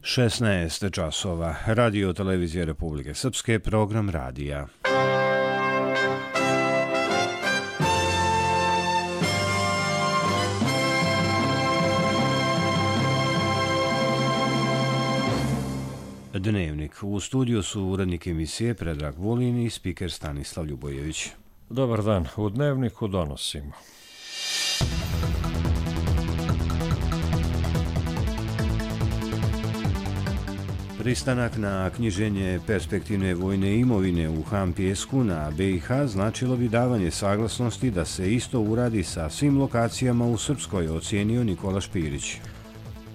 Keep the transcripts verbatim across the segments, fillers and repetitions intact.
šesnaest časova. Radio Televizije Republike Srpske, program radija. Dnevnik. U studiju su urednik emisije Predrag Vulin i spiker Stanislav Ljubojević. Dobar dan. U Dnevniku donosimo. Pristanak na knjiženje perspektivne vojne imovine u Han Pijesku na B i H značilo bi davanje saglasnosti da se isto uradi sa svim lokacijama u Srpskoj, ocijenio Nikola Špirić.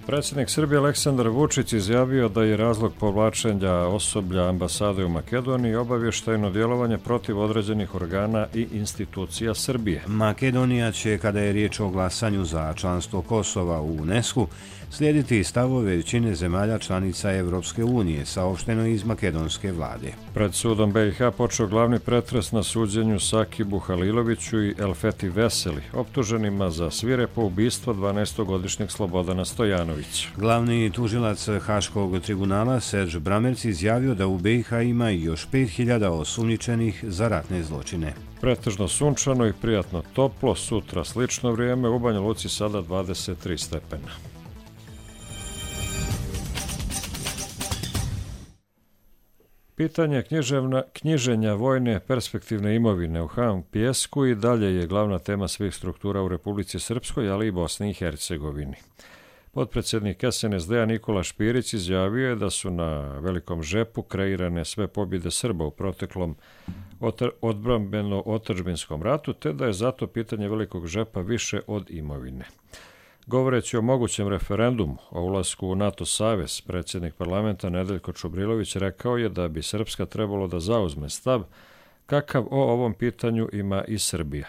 Predsjednik Srbije Aleksandar Vučić izjavio da je razlog povlačenja osoblja ambasade u Makedoniji obavještajno djelovanje protiv određenih organa i institucija Srbije. Makedonija će, kada je riječ o glasanju za članstvo Kosova u UNESCO, slijediti stavove većine zemalja članica Evropske unije, saopšteno iz makedonske vlade. Pred sudom B i H počeo glavni pretres na suđenju Sakibu Haliloviću i Elfeti Veseli, optuženima za svirepo ubistvo dvanaestogodišnjeg Slobodana Stojanovića. Glavni tužilac Haškog tribunala Serž Bramerc izjavio da u B i H ima još pet hiljada osumnjičenih za ratne zločine. Pretežno sunčano i prijatno toplo, sutra slično vrijeme, u Banja Luci sada dvadeset tri stepena. Pitanje književna, knjiženja vojne perspektivne imovine u Han Pijesku i dalje je glavna tema svih struktura u Republici Srpskoj, ali i Bosni i Hercegovini. Potpredsjednik S N S D-a Nikola Špirić izjavio je da su na velikom žepu kreirane sve pobjede Srba u proteklom odbrambeno-otadžbinskom ratu, te da je zato pitanje velikog žepa više od imovine. Govoreći o mogućem referendumu o ulasku u NATO savez, predsjednik parlamenta Nedeljko Čubrilović rekao je da bi Srpska trebalo da zauzme stav kakav o ovom pitanju ima i Srbija.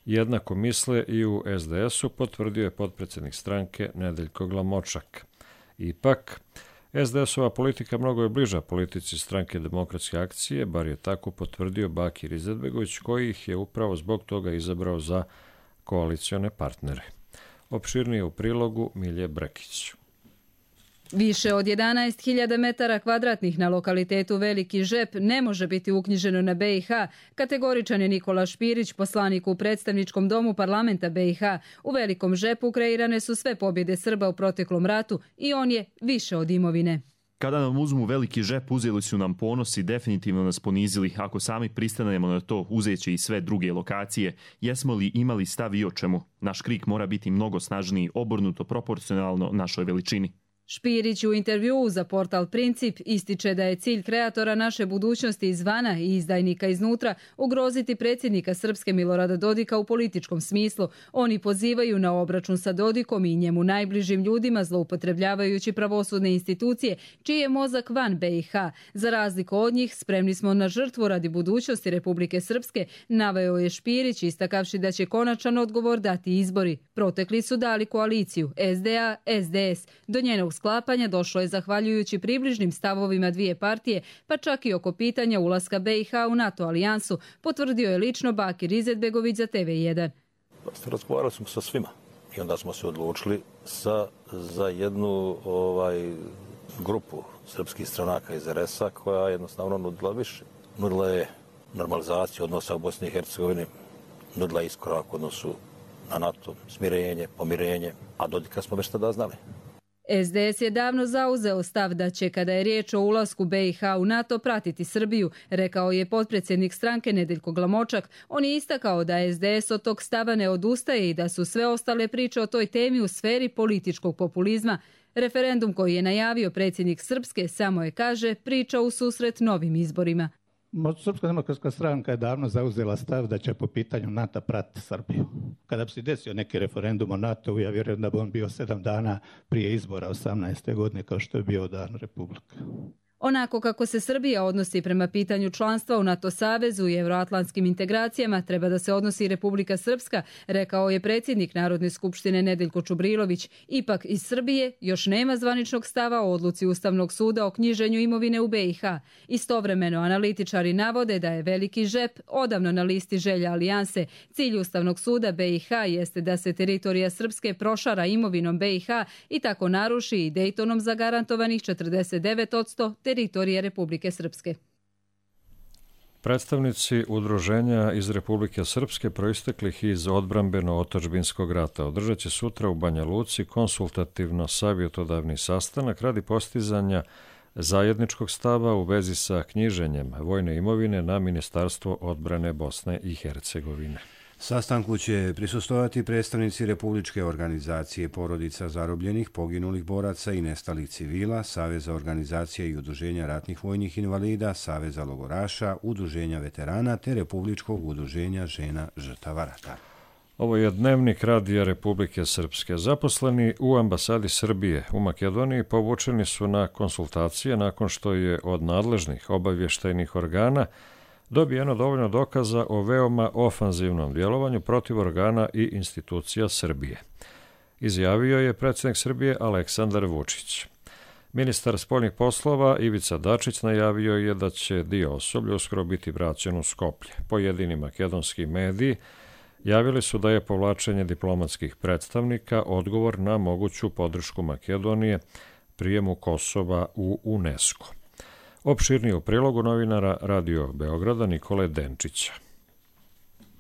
Jednako misle i u S D S-u, potvrdio je potpredsjednik stranke Nedeljko Glamočak. Ipak, S D S-ova politika mnogo je bliža politici stranke Demokratske akcije, bar je tako potvrdio Bakir Izetbegović, koji ih je upravo zbog toga izabrao za koalicione partnere. Opširnije u prilogu Milje Brekić. Više od jedanaest hiljada metara kvadratnih na lokalitetu Veliki Žep ne može biti uknjiženo na B i H, kategoričan je Nikola Špirić, poslanik u predstavničkom domu parlamenta B i H. U Velikom Žepu kreirane su sve pobjede Srba u proteklom ratu i on je više od imovine. Kada nam uzmu Veliki Žep, uzeli su nam ponos i definitivno nas ponizili. Ako sami pristanemo na to, uzeće i sve druge lokacije. Jesmo li imali stav i o čemu? Naš krik mora biti mnogo snažniji, obrnuto proporcionalno našoj veličini. Špirić u intervjuu za portal Princip ističe da je cilj kreatora naše budućnosti izvana i izdajnika iznutra ugroziti predsjednika Srpske Milorada Dodika u političkom smislu. Oni pozivaju na obračun sa Dodikom i njemu najbližim ljudima zloupotrebljavajući pravosudne institucije čiji je mozak van B i H. Za razliku od njih spremni smo na žrtvu radi budućnosti Republike Srpske, naveo je Špirić istakavši da će konačan odgovor dati izbori. Protekli su dali koaliciju S D A S D S. Do njenog sklapanja došlo je zahvaljujući približnim stavovima dvije partije, pa čak i oko pitanja ulaska B i H u NATO alijansu, potvrdio je lično Bakir Izetbegović za T V jedan. Razgovarali smo sa svima i onda smo se odlučili sa, za jednu ovaj, grupu srpskih stranaka iz R S-a koja jednostavno nudila više. Nudila je normalizaciju odnosa u Bosni i Hercegovini, nudila iskorak u odnosu na NATO, smirenje, pomirenje, a Dodika smo već tada znali. S D S je davno zauzeo stav da će, kada je riječ o ulasku B i H u NATO, pratiti Srbiju, rekao je potpredsjednik stranke Nedeljko Glamočak. On je istakao da S D S od tog stava ne odustaje i da su sve ostale priče o toj temi u sferi političkog populizma. Referendum koji je najavio predsjednik Srpske samo je, kaže, priča u susret novim izborima. Srpska demokratska stranka je davno zauzela stav da će po pitanju NATO pratiti Srbiju. Kada bi se desio neki referendum o NATO-u, ja vjerujem da bi on bio sedam dana prije izbora osamnaeste godine kao što je bio dan Republika. Onako kako se Srbija odnosi prema pitanju članstva u NATO savezu i euroatlantskim integracijama, treba da se odnosi i Republika Srpska, rekao je predsjednik Narodne skupštine Nedeljko Čubrilović. Ipak iz Srbije još nema zvaničnog stava o odluci Ustavnog suda o knjiženju imovine u B i H. Istovremeno analitičari navode da je veliki žep odavno na listi želja alijanse. Cilj Ustavnog suda B i H jeste da se teritorija Srpske prošara imovinom B i H i tako naruši i Dejtonom zagarantovanih četrdeset devet posto teritorije Republike Srpske. Predstavnici udruženja iz Republike Srpske proisteklih iz odbrambeno-otadžbinskog rata održat će sutra u Banja Luci konsultativno-savjetodavni sastanak radi postizanja zajedničkog stava u vezi sa knjiženjem vojne imovine na Ministarstvo odbrane Bosne i Hercegovine. Sastanku će prisustvovati predstavnici Republičke organizacije porodica zarobljenih, poginulih boraca i nestalih civila, Saveza organizacija i udruženja ratnih vojnih invalida, Saveza logoraša, Udruženja veterana te Republičkog udruženja žena žrtava rata. Ovo je dnevnik Radija Republike Srpske. Zaposleni u ambasadi Srbije u Makedoniji povučeni su na konsultacije nakon što je od nadležnih obavještajnih organa dobijeno dovoljno dokaza o veoma ofanzivnom djelovanju protiv organa i institucija Srbije. Izjavio je predsjednik Srbije Aleksandar Vučić. Ministar spoljnih poslova Ivica Dačić najavio je da će dio osoblja uskoro biti vraćen u Skoplje. Pojedini makedonski mediji javili su da je povlačenje diplomatskih predstavnika odgovor na moguću podršku Makedonije prijemu Kosova u UNESCO. Opširnije u prilogu novinara Radio Beograda Nikole Denčića.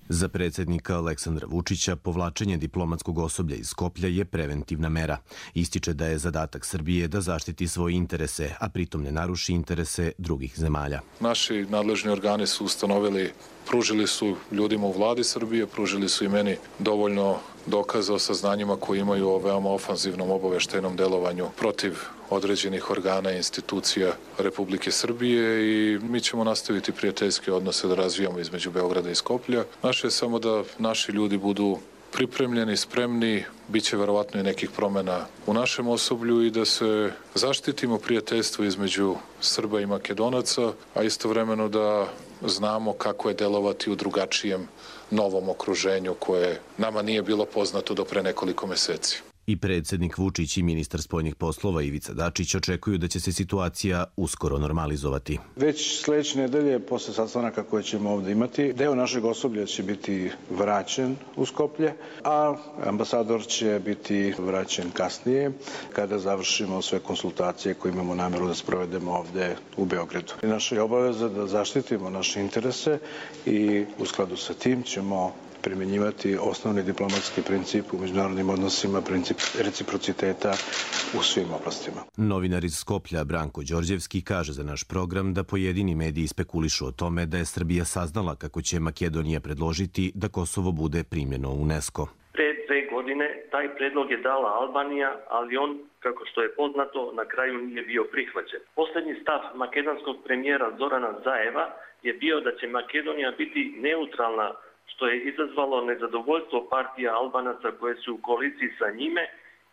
Za predsjednika Aleksandra Vučića povlačenje diplomatskog osoblja iz Skoplja je preventivna mera. Ističe da je zadatak Srbije da zaštiti svoje interese, a pritom ne naruši interese drugih zemalja. Naši nadležni organi su ustanovili, pružili su ljudima u vladi Srbije, pružili su i meni dovoljno dokaza o saznanjima koje imaju o veoma ofanzivnom obaveštajnom delovanju protiv određenih organa i institucija Republike Srbije i mi ćemo nastaviti prijateljske odnose da razvijamo između Beograda i Skoplja. Naše je samo da naši ljudi budu pripremljeni, spremni, bit će verovatno i nekih promjena u našem osoblju i da se zaštitimo prijateljstvo između Srba i Makedonaca, a istovremeno da znamo kako je delovati u drugačijem novom okruženju koje nama nije bilo poznato do pre nekoliko meseci. I predsjednik Vučić i ministar spoljnih poslova Ivica Dačić očekuju da će se situacija uskoro normalizovati. Već sljedeće nedelje, posle sastanaka koje ćemo ovdje imati, deo našeg osoblja će biti vraćen u Skoplje, a ambasador će biti vraćen kasnije kada završimo sve konsultacije koje imamo namjeru da sprovedemo ovdje u Beogradu. Naša je obaveza da zaštitimo naše interese i u skladu sa tim ćemo primjenjivati osnovni diplomatski princip u međunarodnim odnosima, princip reciprociteta u svim oblastima. Novinar iz Skoplja Branko Đorđevski kaže za naš program da pojedini mediji spekulišu o tome da je Srbija saznala kako će Makedonija predložiti da Kosovo bude primljeno u UNESCO. Pre dve godine taj predlog je dala Albanija, ali on, kako što je poznato, na kraju nije bio prihvaćen. Posljednji stav makedonskog premijera Zorana Zajeva je bio da će Makedonija biti neutralna, što je izazvalo nezadovoljstvo partija Albanaca koje su u koaliciji sa njime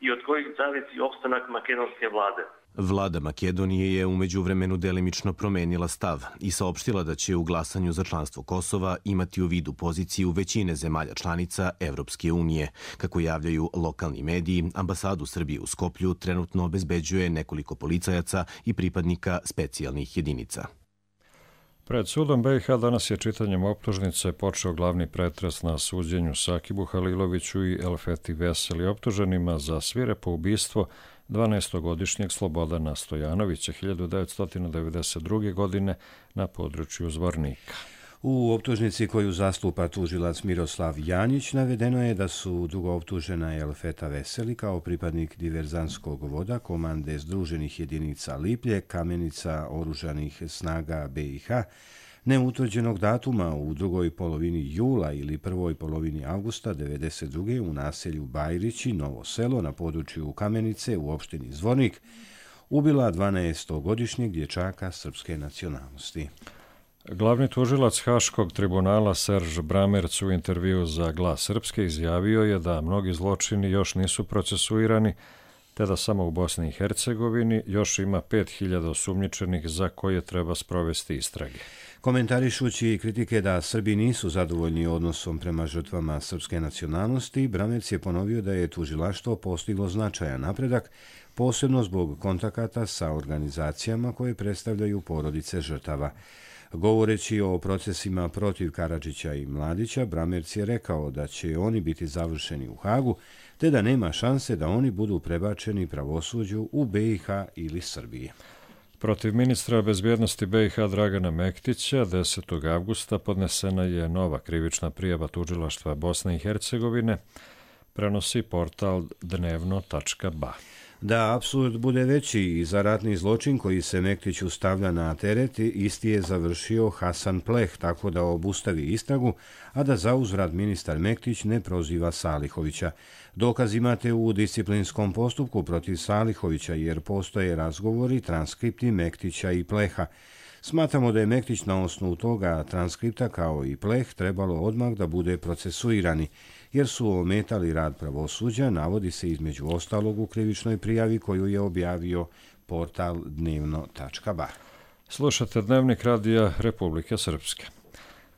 i od kojih zavisi opstanak makedonske vlade. Vlada Makedonije je u međuvremenu delimično promenila stav i saopštila da će u glasanju za članstvo Kosova imati u vidu poziciju većine zemalja članica Evropske unije. Kako javljaju lokalni mediji, ambasadu Srbije u Skoplju trenutno obezbeđuje nekoliko policajaca i pripadnika specijalnih jedinica. Pred sudom B i H danas je čitanjem optužnice počeo glavni pretres na suđenju Sakibu Haliloviću i Elfeti Veseli, optuženima za svirepo ubistvo dvanaestogodišnjeg Slobodana Stojanovića hiljadu devetsto devedeset druge. godine na području Zvornika. U optužnici koju zastupa tužilac Miroslav Janjić navedeno je da su drugo optužena Elfeta Veseli kao pripadnik diverzanskog voda komande Združenih jedinica Liplje, Kamenica oružanih snaga B i H, neutvrđenog datuma u drugoj polovini jula ili prvoj polovini avgusta devedeset druge. u naselju Bajrići, Novo selo na području Kamenice u opštini Zvornik, ubila dvanaestogodišnjeg dječaka srpske nacionalnosti. Glavni tužilac Haškog tribunala Serž Bramerc u intervju za Glas Srpske izjavio je da mnogi zločini još nisu procesuirani, te da samo u Bosni i Hercegovini još ima pet hiljada osumnjičenih za koje treba sprovesti istrage. Komentarišući kritike da Srbi nisu zadovoljni odnosom prema žrtvama srpske nacionalnosti, Bramerc je ponovio da je tužilaštvo postiglo značajan napredak, posebno zbog kontakata sa organizacijama koje predstavljaju porodice žrtava. Govoreći o procesima protiv Karadžića i Mladića, Bramerc je rekao da će oni biti završeni u Hagu, te da nema šanse da oni budu prebačeni pravosuđu u B i H ili Srbiji. Protiv ministra bezbjednosti B i H Dragana Mektića desetog avgusta podnesena je nova krivična prijava tužilaštva Bosne i Hercegovine, prenosi portal dnevno tačka ba. Da apsurd bude veći i za ratni zločin koji se Mektiću stavlja na teret, isti je završio Hasan Pleh tako da obustavi istragu, a da zauzvrat ministar Mektić ne proziva Salihovića. Dokaz imate u disciplinskom postupku protiv Salihovića jer postoje razgovori, transkripti Mektića i Pleha. Smatramo da je Mektić na osnovu toga transkripta kao i Pleh trebalo odmah da bude procesuirani, jer su ometali rad pravosuđa, navodi se između ostalog u krivičnoj prijavi koju je objavio portal dnevno tačka ba. Slušate Dnevnik radija Republike Srpske.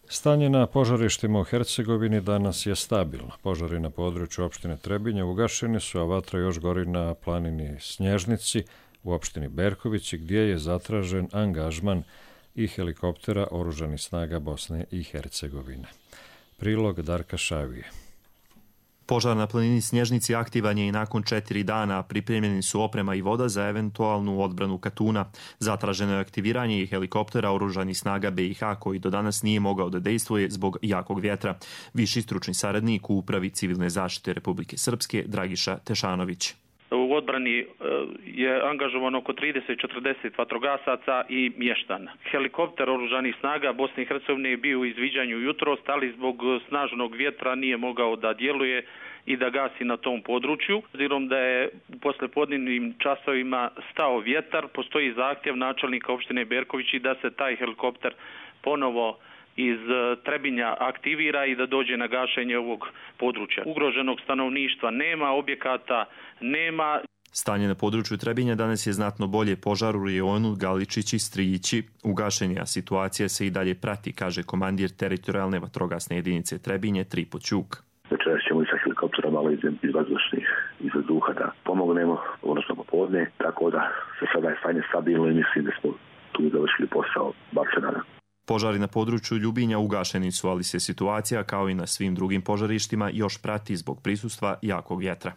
Stanje na požarištima u Hercegovini danas je stabilno. Požari na području opštine Trebinje ugašeni su, a vatra još gori na planini Snježnici u opštini Berkovići, gdje je zatražen angažman i helikoptera oružanih snaga Bosne i Hercegovine. Prilog Darka Šavije. Požar na planini Snježnici aktivan je i nakon četiri dana. Pripremljeni su oprema i voda za eventualnu odbranu Katuna. Zatraženo je aktiviranje i helikoptera oružanih snaga B i H koji do danas nije mogao da dejstvuje zbog jakog vjetra. Viši stručni saradnik u Upravi civilne zaštite Republike Srpske Dragiša Tešanović. U odbrani je angažovano oko trideset do četrdeset vatrogasaca i mještana. Helikopter oružanih snaga Bosne i Hercegovine je bio u izviđanju jutros, ali zbog snažnog vjetra nije mogao da djeluje i da gasi na tom području. Obzirom da je u poslijepodnevnim časovima stao vjetar, postoji zahtjev načelnika opštine Berkovići da se taj helikopter ponovo iz Trebinja aktivira i da dođe na gašenje ovog područja. Ugroženog stanovništva nema, objekata nema. Stanje na području Trebinja danas je znatno bolje. Požar u rejonu Galičić i Strijići ugašen, a situacija se i dalje prati, kaže komandir teritorijalne vatrogasne jedinice Trebinje Tripo Ćuk. Večeras ćemo i sa helikoptera malo iz vazdušnih iz vazduha da pomognemo, odnosno popodne, tako da se sada je stanje stabilno i mislim da smo tu završili posao, bar se nadam. Požari na području Ljubinja ugašeni su, ali se situacija, kao i na svim drugim požarištima, još prati zbog prisustva jakog vjetra.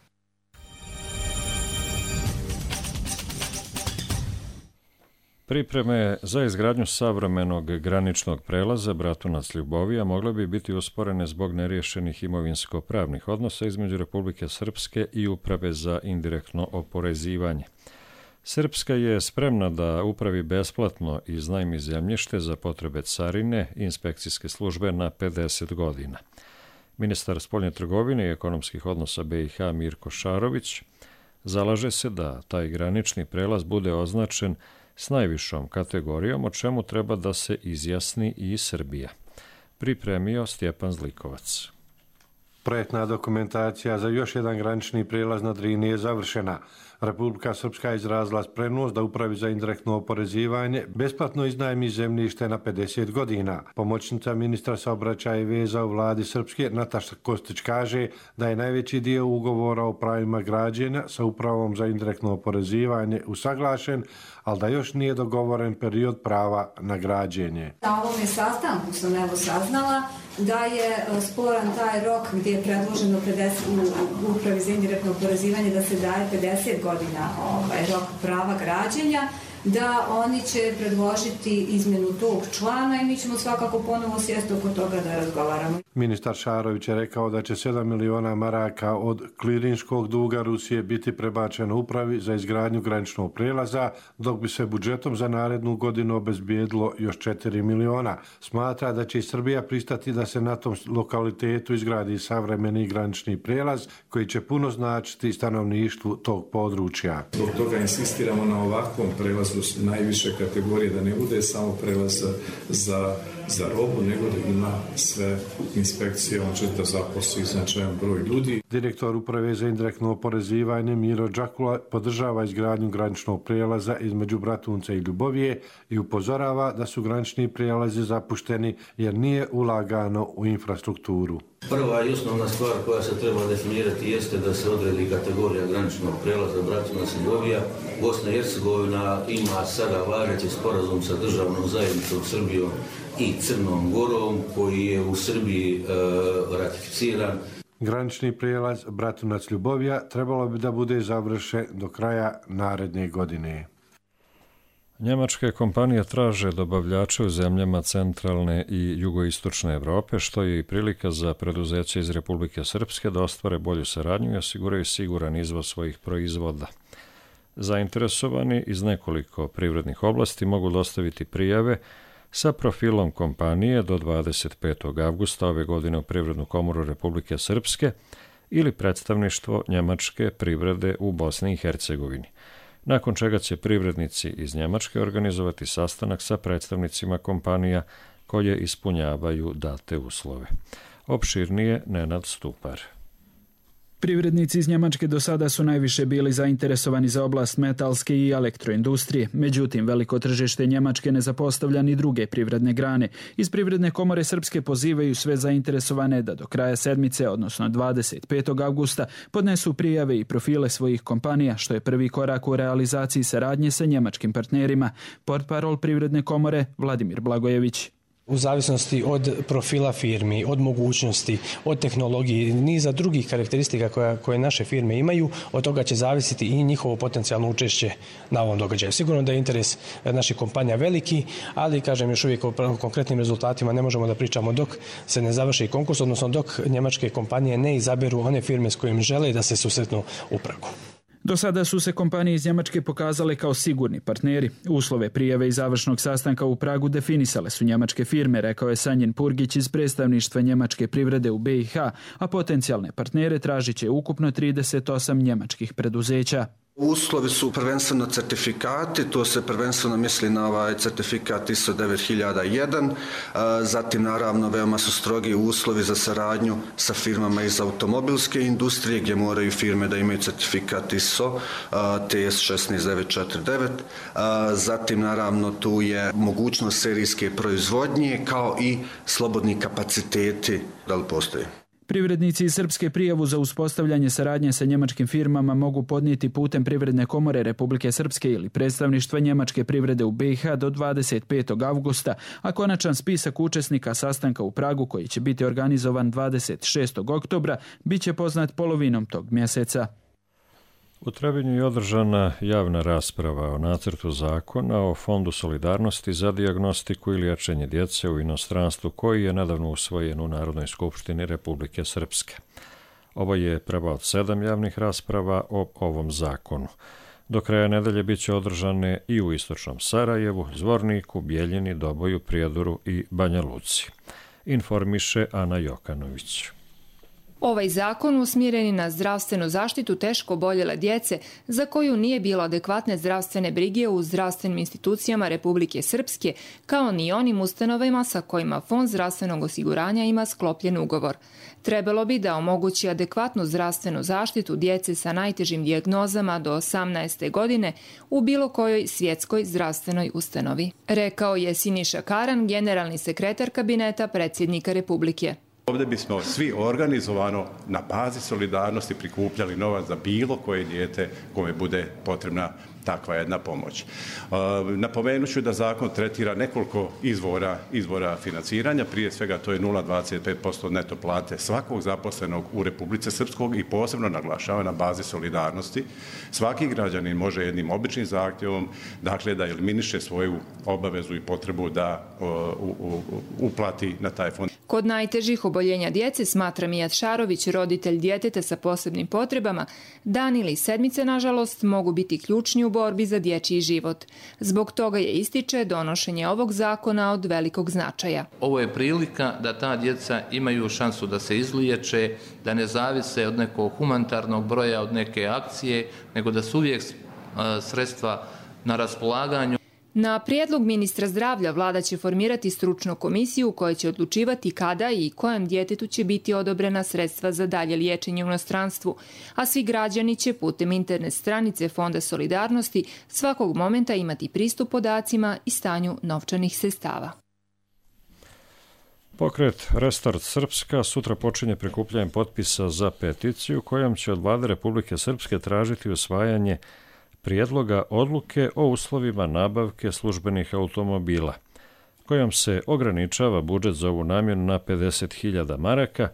Pripreme za izgradnju savremenog graničnog prelaza Bratunac Ljubovija mogle bi biti usporene zbog neriješenih imovinsko-pravnih odnosa između Republike Srpske i Uprave za indirektno oporezivanje. Srpska je spremna da upravi besplatno iznajmi zemljište za potrebe carine i inspekcijske službe na pedeset godina. Ministar spoljne trgovine i ekonomskih odnosa B i H Mirko Šarović zalaže se da taj granični prelaz bude označen s najvišom kategorijom, o čemu treba da se izjasni i Srbija. Pripremio Stjepan Zlikovac. Projektna dokumentacija za još jedan granični prijelaz na Drini je završena. Republika Srpska je izrazila spremnost da Upravi za indirektno oporezivanje besplatno iznajmi zemljište na pedeset godina. Pomoćnica ministra saobraćaja i veza u vladi Srpske Nataša Kostić kaže da je najveći dio ugovora o pravima građenja sa Upravom za indirektno oporezivanje usaglašen, ali da još nije dogovoren period prava na građenje. Na ovome sastanku sam evo saznala da je sporan taj rok gdje je predloženo pedeset, u Upravi za indirektno oporezivanje da se daje pedeset godina ovaj, rok prava građenja, da oni će predložiti izmjenu tog člana i mi ćemo svakako ponovo sjesti oko toga da razgovaramo. Ministar Šarović je rekao da će sedam miliona maraka od klirinškog duga Rusije biti prebačeno Upravi za izgradnju graničnog prijelaza, dok bi se budžetom za narednu godinu obezbijedilo još četiri miliona. Smatra da će i Srbija pristati da se na tom lokalitetu izgradi savremeni granični prijelaz koji će puno značiti stanovništvu tog područja. Zbog toga insistiramo na ovakvom prelazu prelazu najviše kategorije, da ne bude samo prelaz za, za robu, nego da ima sve inspekcije, on će da zaposli značajan broj ljudi. Direktor Uprave za indirektno oporezivanje Miro Đakula podržava izgradnju graničnog prijelaza između Bratunca i Ljubovije i upozorava da su granični prijelazi zapušteni jer nije ulagano u infrastrukturu. Prva i osnovna stvar koja se treba definirati jeste da se odredi kategorija graničnog prijelaza Bratunac i Ljubovija. Bosna i Hercegovina ima sada važeći sporazum sa državnom zajednicom Srbijom i Crnom Gorom koji je u Srbiji e, ratificiran. Granični prijelaz Bratunac-Ljubovija trebalo bi da bude završen do kraja naredne godine. Njemačke kompanije traže dobavljače u zemljama centralne i jugoistočne Evrope, što je i prilika za preduzeće iz Republike Srpske da ostvare bolju saradnju i osiguraju siguran izvoz svojih proizvoda. Zainteresovani iz nekoliko privrednih oblasti mogu dostaviti prijave sa profilom kompanije do dvadeset petog avgusta ove godine u Privrednu komoru Republike Srpske ili predstavništvo njemačke privrede u Bosni i Hercegovini, nakon čega će privrednici iz Njemačke organizovati sastanak sa predstavnicima kompanija koje ispunjavaju date uslove. Opširnije Nenad Stupar. Privrednici iz Njemačke do sada su najviše bili zainteresovani za oblast metalske i elektroindustrije. Međutim, veliko tržište Njemačke ne zapostavlja ni druge privredne grane. Iz Privredne komore Srpske pozivaju sve zainteresovane da do kraja sedmice, odnosno dvadeset petog avgusta, podnesu prijave i profile svojih kompanija, što je prvi korak u realizaciji saradnje sa njemačkim partnerima. Portparol Privredne komore Vladimir Blagojević. U zavisnosti od profila firmi, od mogućnosti, od tehnologije, niza drugih karakteristika koja, koje naše firme imaju, od toga će zavisiti i njihovo potencijalno učešće na ovom događaju. Sigurno da je interes naših kompanija veliki, ali, kažem, još uvijek o konkretnim rezultatima ne možemo da pričamo dok se ne završi konkurs, odnosno dok njemačke kompanije ne izaberu one firme s kojim žele da se susretnu u Pragu. Do sada su se kompanije iz Njemačke pokazale kao sigurni partneri. Uslove prijave i završnog sastanka u Pragu definisale su njemačke firme, rekao je Sanjin Purgić iz predstavništva njemačke privrede u B i H, a potencijalne partnere tražit će ukupno trideset osam njemačkih preduzeća. Uslovi su prvenstveno certifikati, to se prvenstveno misli na ovaj certifikat I S O devet hiljada jedan, zatim naravno veoma su strogi uslovi za saradnju sa firmama iz automobilske industrije gdje moraju firme da imaju certifikat I S O T S šesnaest devet četrdeset devet, zatim naravno tu je mogućnost serijske proizvodnje kao i slobodni kapaciteti da li postoje. Privrednici iz Srpske prijavu za uspostavljanje saradnje sa njemačkim firmama mogu podnijeti putem Privredne komore Republike Srpske ili predstavništva njemačke privrede u B i H do dvadeset petog avgusta, a konačan spisak učesnika sastanka u Pragu, koji će biti organizovan dvadeset šestog oktobra, bit će poznat polovinom tog mjeseca. U Trebinju je održana javna rasprava o nacrtu zakona o Fondu solidarnosti za dijagnostiku i liječenje djece u inostranstvu koji je nedavno usvojen u Narodnoj skupštini Republike Srpske. Ovo je prva od sedam javnih rasprava o ovom zakonu. Do kraja nedelje bit će održane i u istočnom Sarajevu, Zvorniku, Bijeljini, Doboju, Prijedoru i Banja Luci. Informiše Ana Jokanović. Ovaj zakon usmjeren je na zdravstvenu zaštitu teško oboljele djece za koju nije bilo adekvatne zdravstvene brige u zdravstvenim institucijama Republike Srpske, kao ni onim ustanovama sa kojima Fond zdravstvenog osiguranja ima sklopljen ugovor. Trebalo bi da omogući adekvatnu zdravstvenu zaštitu djece sa najtežim dijagnozama do osamnaeste godine u bilo kojoj svjetskoj zdravstvenoj ustanovi, rekao je Siniša Karan, generalni sekretar kabineta predsjednika Republike. Ovdje bismo svi organizovano na bazi solidarnosti prikupljali novac za bilo koje dijete kome bude potrebna takva jedna pomoć. Napomenut ću da zakon tretira nekoliko izvora, izvora financiranja, prije svega to je nula zarez dvadeset pet posto neto plate svakog zaposlenog u Republice Srpskog i posebno naglašava na bazi solidarnosti. Svaki građanin može jednim običnim zahtjevom, dakle, da eliminiše svoju obavezu i potrebu da u, u, uplati na taj fond. Kod najtežih oboljenja djece, smatra Mijat Šarović, roditelj djeteta sa posebnim potrebama, dan ili sedmice, nažalost, mogu biti ključni u borbi za dječji život. Zbog toga je, ističe, donošenje ovog zakona od velikog značaja. Ovo je prilika da ta djeca imaju šansu da se izliječe, da ne zavise od nekog humanitarnog broja, od neke akcije, nego da su uvijek sredstva na raspolaganju. Na prijedlog ministra zdravlja vlada će formirati stručnu komisiju koja će odlučivati kada i kojem djetetu će biti odobrena sredstva za dalje liječenje u inostranstvu, a svi građani će putem internet stranice Fonda solidarnosti svakog momenta imati pristup podacima i stanju novčanih sredstava. Pokret Restart Srpska sutra počinje prikupljanjem potpisa za peticiju kojom će od Vlade Republike Srpske tražiti usvajanje prijedloga odluke o uslovima nabavke službenih automobila, kojom se ograničava budžet za ovu namjenu na pedeset hiljada maraka,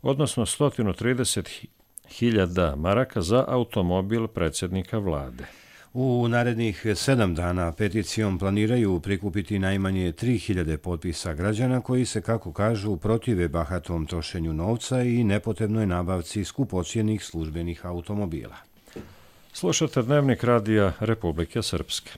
odnosno sto trideset hiljada maraka za automobil predsjednika vlade. U narednih sedam dana peticijom planiraju prikupiti najmanje tri hiljade potpisa građana koji se, kako kažu, protive bahatom trošenju novca i nepotrebnoj nabavci skupocjenih službenih automobila. Slušate Dnevnik radija Republike Srpske.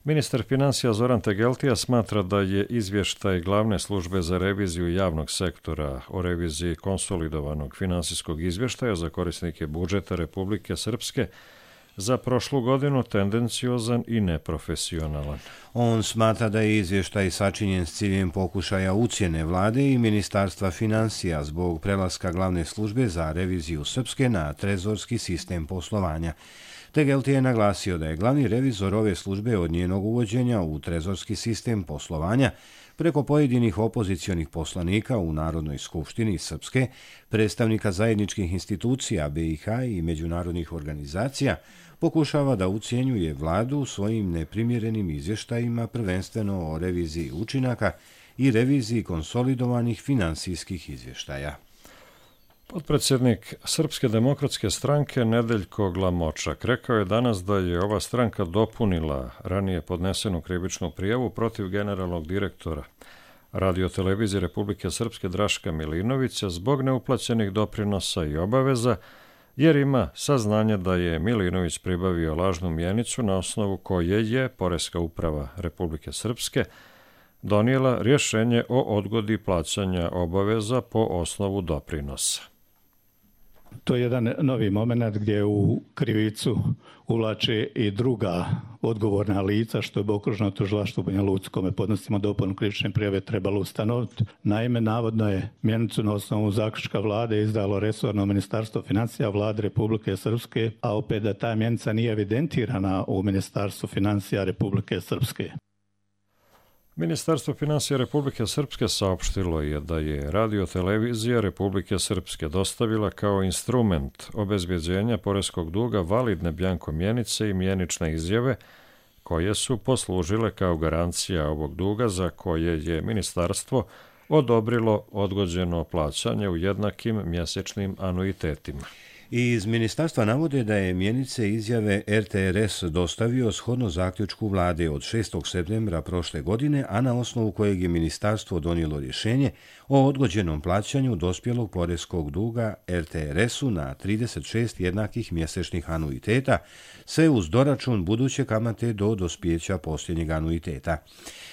Ministar financija Zoran Tegeltija smatra da je izvještaj Glavne službe za reviziju javnog sektora o reviziji konsolidovanog finansijskog izvještaja za korisnike budžeta Republike Srpske za prošlu godinu tendenciozan i neprofesionalan. On smatra da je izvještaj sačinjen s ciljem pokušaja ucjene vlade i Ministarstva financija zbog prelaska Glavne službe za reviziju Srpske na trezorski sistem poslovanja. Tegeltija je naglasio da je glavni revizor ove službe od njenog uvođenja u trezorski sistem poslovanja preko pojedinih opozicionih poslanika u Narodnoj skupštini Srpske, predstavnika zajedničkih institucija B i H i međunarodnih organizacija, pokušava da ucjenjuje vladu svojim neprimjerenim izvještajima, prvenstveno o reviziji učinaka i reviziji konsolidovanih finansijskih izvještaja. Potpredsjednik Srpske demokratske stranke Nedeljko Glamočak rekao je danas da je ova stranka dopunila ranije podnesenu krivičnu prijavu protiv generalnog direktora Radio-televizije Republike Srpske Draška Milinovića zbog neuplaćenih doprinosa i obaveza, jer ima saznanje da je Milinović pribavio lažnu mjenicu na osnovu koje je Poreska uprava Republike Srpske donijela rješenje o odgodi plaćanja obaveza po osnovu doprinosa. To je jedan novi moment gdje u krivicu uvlače i druga odgovorna lica, što je okružno tužilaštvo u Banja Luci kome podnosimo dopunu krivične prijave trebalo ustanoviti. Naime, navodno je mjenicu na osnovu zaključka vlade izdalo resorno Ministarstvo financija vlade Republike Srpske, a opet da ta mjenica nije evidentirana u Ministarstvu financija Republike Srpske. Ministarstvo financija Republike Srpske saopštilo je da je Radio-televizija Republike Srpske dostavila kao instrument obezbjeđenja poreskog duga validne bjanko mjenice i mjenične izjave koje su poslužile kao garancija ovog duga za koje je ministarstvo odobrilo odgođeno plaćanje u jednakim mjesečnim anuitetima. Iz ministarstva navode da je mjenice izjave R T R S dostavio shodno zaključku vlade od šestog septembra prošle godine, a na osnovu kojeg je ministarstvo donijelo rješenje o odgođenom plaćanju dospjelog poreskog duga R T R S-u na trideset šest jednakih mjesečnih anuiteta, sve uz doračun buduće kamate do dospjeća posljednjeg anuiteta.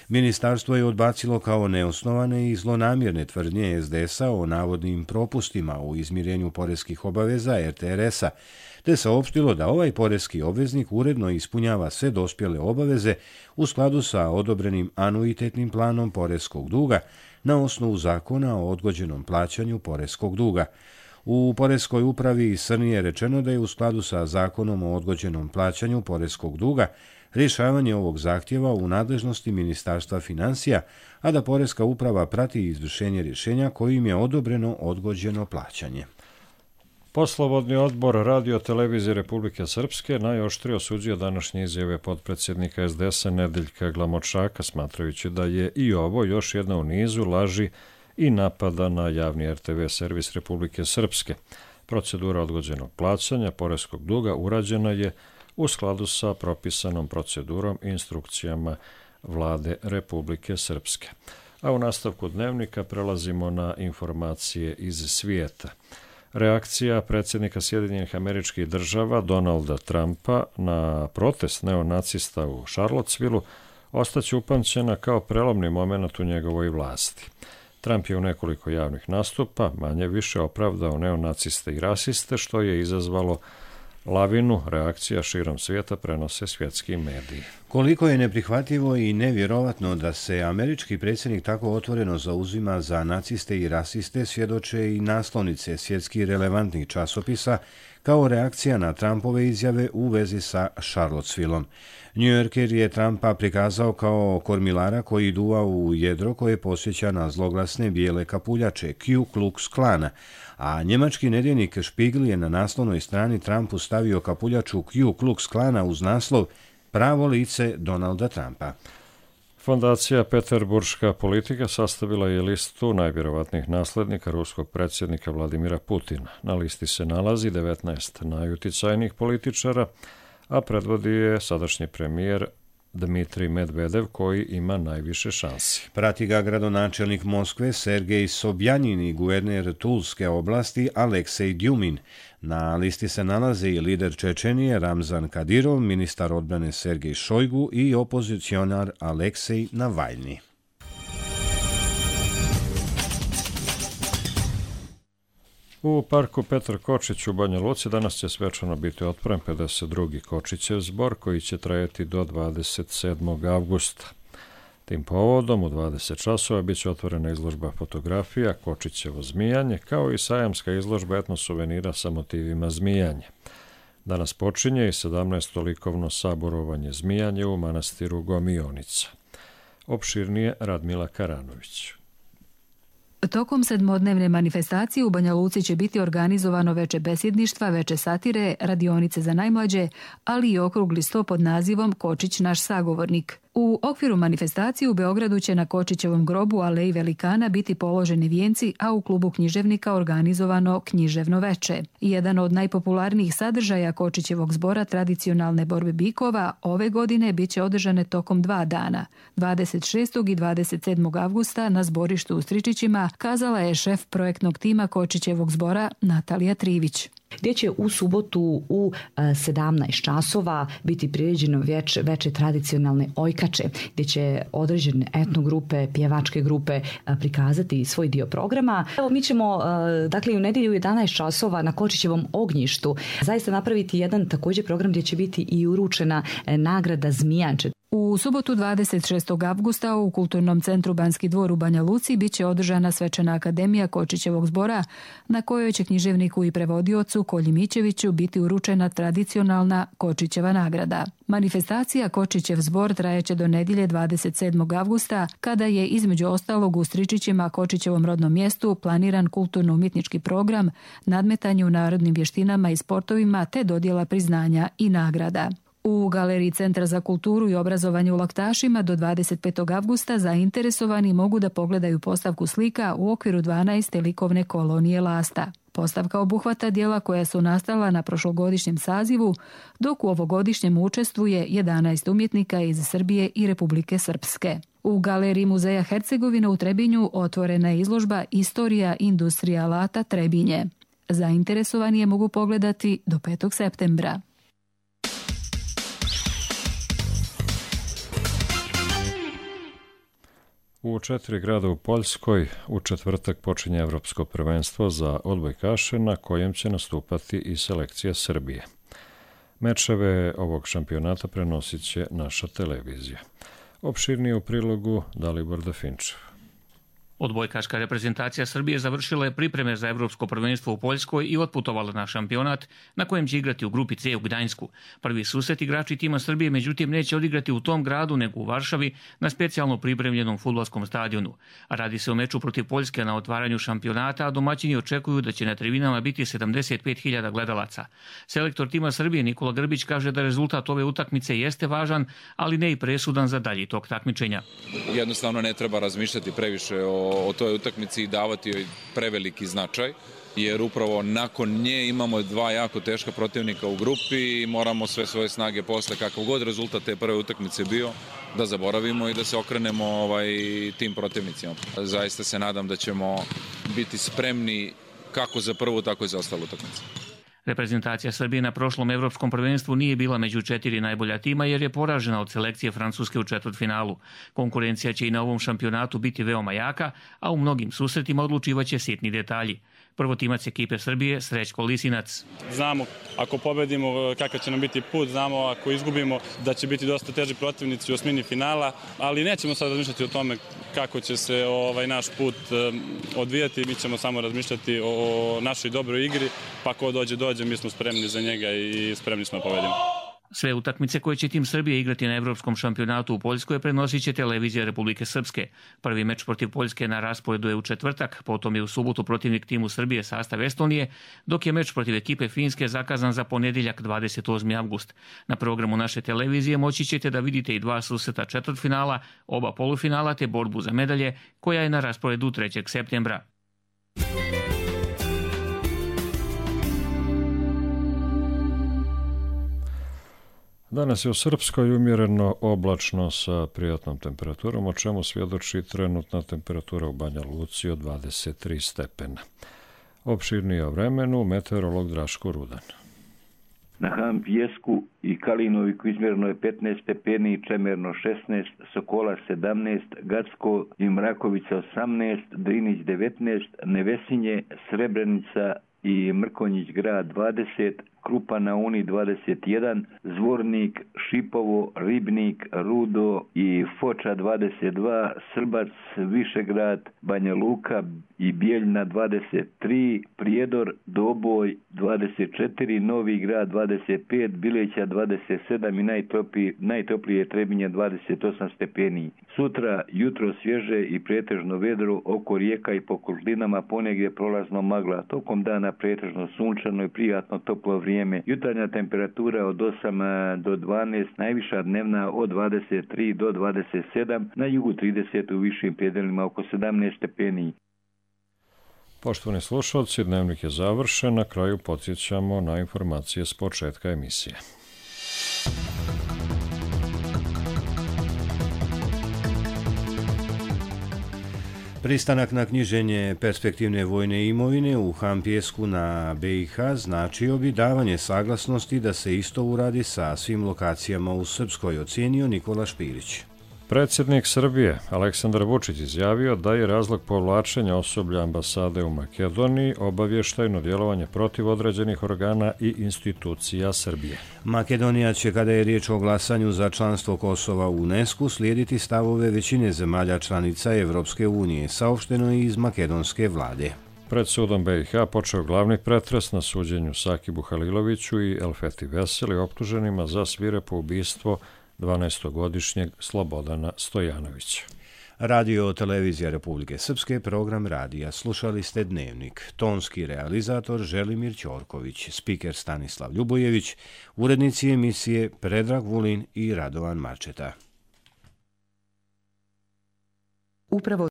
Ministarstvo je odbacilo kao neosnovane i zlonamjerne tvrdnje S D S-a o navodnim propustima u izmirenju poreskih obaveza R T R S-a, te saopštilo da ovaj poreski obveznik uredno ispunjava sve dospjele obaveze u skladu sa odobrenim anuitetnim planom poreskog duga na osnovu zakona o odgođenom plaćanju poreskog duga. U Poreskoj upravi Srni je rečeno da je u skladu sa zakonom o odgođenom plaćanju poreskog duga rješavanje ovog zahtjeva u nadležnosti Ministarstva financija, a da Poreska uprava prati izvršenje rješenja kojim je odobreno odgođeno plaćanje. Poslovodni odbor Radio-televizije Republike Srpske najoštrije osuđio današnje izjave potpredsjednika S D S-a Nedeljka Glamočaka, smatrajući da je i ovo još jedna u nizu laži i napada na javni R T V servis Republike Srpske. Procedura odgođenog plaćanja poreskog duga urađena je u skladu sa propisanom procedurom i instrukcijama vlade Republike Srpske. A u nastavku dnevnika prelazimo na informacije iz svijeta. Reakcija predsjednika Sjedinjenih Američkih Država Donalda Trumpa na protest neonacista u Charlottesvilleu ostaće upamćena kao prelomni moment u njegovoj vlasti. Trump je u nekoliko javnih nastupa manje više opravdao neonaciste i rasiste, što je izazvalo lavinu reakcija širom svijeta, prenose svjetski mediji. Koliko je neprihvatljivo i nevjerovatno da se američki predsjednik tako otvoreno zauzima za naciste i rasiste svjedoče i naslovnice svjetski relevantnih časopisa kao reakcija na Trumpove izjave u vezi sa Charlottesvilleom. New Yorker je Trumpa prikazao kao kormilara koji duva u jedro koje posjeća na zloglasne bijele kapuljače Ku Klux Klana, a njemački nedjeljnik Spiegel je na naslovnoj strani Trumpu stavio kapuljaču Ku Klux Klana uz naslov Pravo lice Donalda Trumpa. Fondacija Peterburška politika sastavila je listu najvjerovatnijih naslednika ruskog predsjednika Vladimira Putina. Na listi se nalazi devetnaest najuticajnijih političara, a predvodi je sadašnji premijer Dmitrij Medvedev koji ima najviše šansi. Prati ga gradonačelnik Moskve Sergej Sobjanin i guverner Tulske oblasti Aleksej Djumin. Na listi se nalaze i lider Čečenije Ramzan Kadirov, ministar odbrane Sergej Šojgu i opozicionar Aleksej Navalni. U parku Petar Kočić u Banja Luci danas će svečano biti otvoren pedeset drugi Kočićev zbor koji će trajati do dvadeset sedmog avgusta. Tim povodom u dvadeset časova bit će otvorena izložba fotografija Kočićevo zmijanje kao i sajamska izložba etnosuvenira sa motivima zmijanja. Danas počinje i sedamnaesto likovno saborovanje zmijanje u manastiru Gomionica. Opširnije Radmila Karanović. Tokom sedmodnevne manifestacije u Banja Luci će biti organizovano veče besjedništva, veče satire, radionice za najmlađe, ali i okrugli sto pod nazivom Kočić naš sagovornik. U okviru manifestacije u Beogradu će na Kočićevom grobu Aleji Velikana biti položeni vijenci, a u klubu književnika organizovano književno veče. Jedan od najpopularnijih sadržaja Kočićevog zbora tradicionalne borbe bikova ove godine bit će održane tokom dva dana, dvadeset šestog i dvadeset sedmog avgusta na zborištu u Stričićima, kazala je šef projektnog tima Kočićevog zbora Natalija Trivić. Gdje će u subotu u sedamnaest časova biti priređeno veče, veče tradicionalne ojkače, gdje će određene etnogrupe, pjevačke grupe prikazati svoj dio programa. Evo, mi ćemo dakle u nedjelju u jedanaest časova na Kočićevom ognjištu zaista napraviti jedan također program gdje će biti i uručena nagrada Zmijanče. U subotu dvadeset šestog avgusta u Kulturnom centru Banski dvor u Banja Luci bit će održana svečana akademija Kočićevog zbora na kojoj će književniku i prevodiocu Kolji Mićeviću biti uručena tradicionalna Kočićeva nagrada. Manifestacija Kočićev zbor trajeće do nedjelje dvadeset sedmog avgusta kada je između ostalog u Stričićima, Kočićevom rodnom mjestu, planiran kulturno-umjetnički program, nadmetanje u narodnim vještinama i sportovima te dodjela priznanja i nagrada. U Galeriji Centra za kulturu i obrazovanje u Laktašima do dvadeset petog avgusta zainteresovani mogu da pogledaju postavku slika u okviru dvanaeste likovne kolonije Lasta. Postavka obuhvata dijela koja su nastala na prošlogodišnjem sazivu, dok u ovogodišnjem učestvuje jedanaest umjetnika iz Srbije i Republike Srpske. U Galeriji Muzeja Hercegovine u Trebinju otvorena je izložba Istorija industrija alata Trebinje. Zainteresovani je mogu pogledati do petog septembra. U četiri grada u Poljskoj u četvrtak počinje Evropsko prvenstvo za odbojkaše na kojem će nastupati i selekcija Srbije. Mečeve ovog šampionata prenosit će naša televizija. Opširnije u prilogu Dalibor Dafinčev. Odbojkaška reprezentacija Srbije završila je pripreme za Evropsko prvenstvo u Poljskoj i otputovala na šampionat na kojem će igrati u grupi C u Gdańsku. Prvi susret igrači tima Srbije međutim neće odigrati u tom gradu nego u Varšavi na specijalno pripremljenom fudbalskom stadionu. Radi se o meču protiv Poljske na otvaranju šampionata, a domaćini očekuju da će na tribinama biti sedamdeset pet hiljada gledalaca. Selektor tima Srbije Nikola Grbić kaže da rezultat ove utakmice jeste važan, ali ne i presudan za dalji tok takmičenja. Jednostavno ne treba razmišljati previše o o toj utakmici i davati joj preveliki značaj, jer upravo nakon nje imamo dva jako teška protivnika u grupi i moramo sve svoje snage posle, kakav god rezultat te prve utakmice bio, da zaboravimo i da se okrenemo ovaj, tim protivnicima. Zaista se nadam da ćemo biti spremni kako za prvu, tako i za ostalu utakmicu. Reprezentacija Srbije na prošlom evropskom prvenstvu nije bila među četiri najbolja tima jer je poražena od selekcije Francuske u četvrtfinalu. Konkurencija će i na ovom šampionatu biti veoma jaka, a u mnogim susretima odlučivaće sitni detalji. Prvotimac ekipe Srbije Srećko Lisinac. Znamo ako pobedimo kakav će nam biti put, znamo ako izgubimo da će biti dosta teži protivnici u osmini finala, ali nećemo sad razmišljati o tome kako će se ovaj naš put odvijati, mi ćemo samo razmišljati o našoj dobroj igri, pa ko dođe dođe, mi smo spremni za njega i spremni smo da pobedimo. Sve utakmice koje će tim Srbije igrati na Evropskom šampionatu u Poljskoj prenosit će televizija Republike Srpske. Prvi meč protiv Poljske na rasporedu je u četvrtak, potom je u subotu protivnik timu Srbije sastav Estonije, dok je meč protiv ekipe Finske zakazan za ponedjeljak dvadeset osmi avgust. Na programu naše televizije moći ćete da vidite i dva susreta četvrtfinala, oba polufinala te borbu za medalje koja je na rasporedu trećeg septembra. Danas je u Srpskoj umjereno oblačno sa prijatnom temperaturom, o čemu svjedoči trenutna temperatura u Banja Luci od dvadeset tri stepena. Opširnije o vremenu meteorolog Draško Rudan. Na Han Pijesku i Kalinoviku izmjereno je petnaest stepeni, Čemerno šesnaest, Sokola sedamnaest, Gacko i Mrakovica osamnaest, Drinić devetnaest, Nevesinje, Srebrenica i Mrkonjić grad dvadeset, Krupa na Uni dvadeset jedan, Zvornik, Šipovo, Ribnik, Rudo i Foča dvadeset dva, Srbac, Višegrad, Banja Luka i Bijeljna dvadeset tri, Prijedor, Doboj dvadeset četiri, Novi grad dvadeset pet, Bileća dvadeset sedam i najtoplije, najtoplije Trebinje dvadeset osam stepeni. Sutra jutro svježe i pretežno vedro, oko rijeka i po kožlinama ponegdje prolazno magla. Tokom dana pretežno sunčano i prijatno toplo vrijeme. Jutarnja temperatura od osam do dvanaest, najviša dnevna od dvadeset tri do dvadeset sedam, na jugu trideset, u višim predelima oko sedamnaest stepeni. Poštovani slušalci, dnevnik je završen, na kraju podsjećamo na informacije s početka emisije. Pristanak na knjiženje perspektivne vojne imovine u Han Pijesku na B i H značio bi davanje saglasnosti da se isto uradi sa svim lokacijama u Srpskoj, ocijenio Nikola Špirić. Predsjednik Srbije Aleksandar Vučić izjavio da je razlog povlačenja osoblja ambasade u Makedoniji obavještajno djelovanje protiv određenih organa i institucija Srbije. Makedonija će, kada je riječ o glasanju za članstvo Kosova u UNESCO, slijediti stavove većine zemalja članica Evropske unije, saopšteno je iz makedonske vlade. Pred sudom B i H počeo glavni pretres na suđenju Sakibu Haliloviću i Elfeti Veseli, optuženima za svirepo ubistvo dvanaestogodišnjeg Slobodana Stojanovića. Radio televizija Republike Srpske, program radija. Slušali ste Dnevnik. Tonski realizator Želimir Ćorković, spiker Stanislav Ljubojević, urednici emisije Predrag Vulin i Radovan Marčeta. Upravo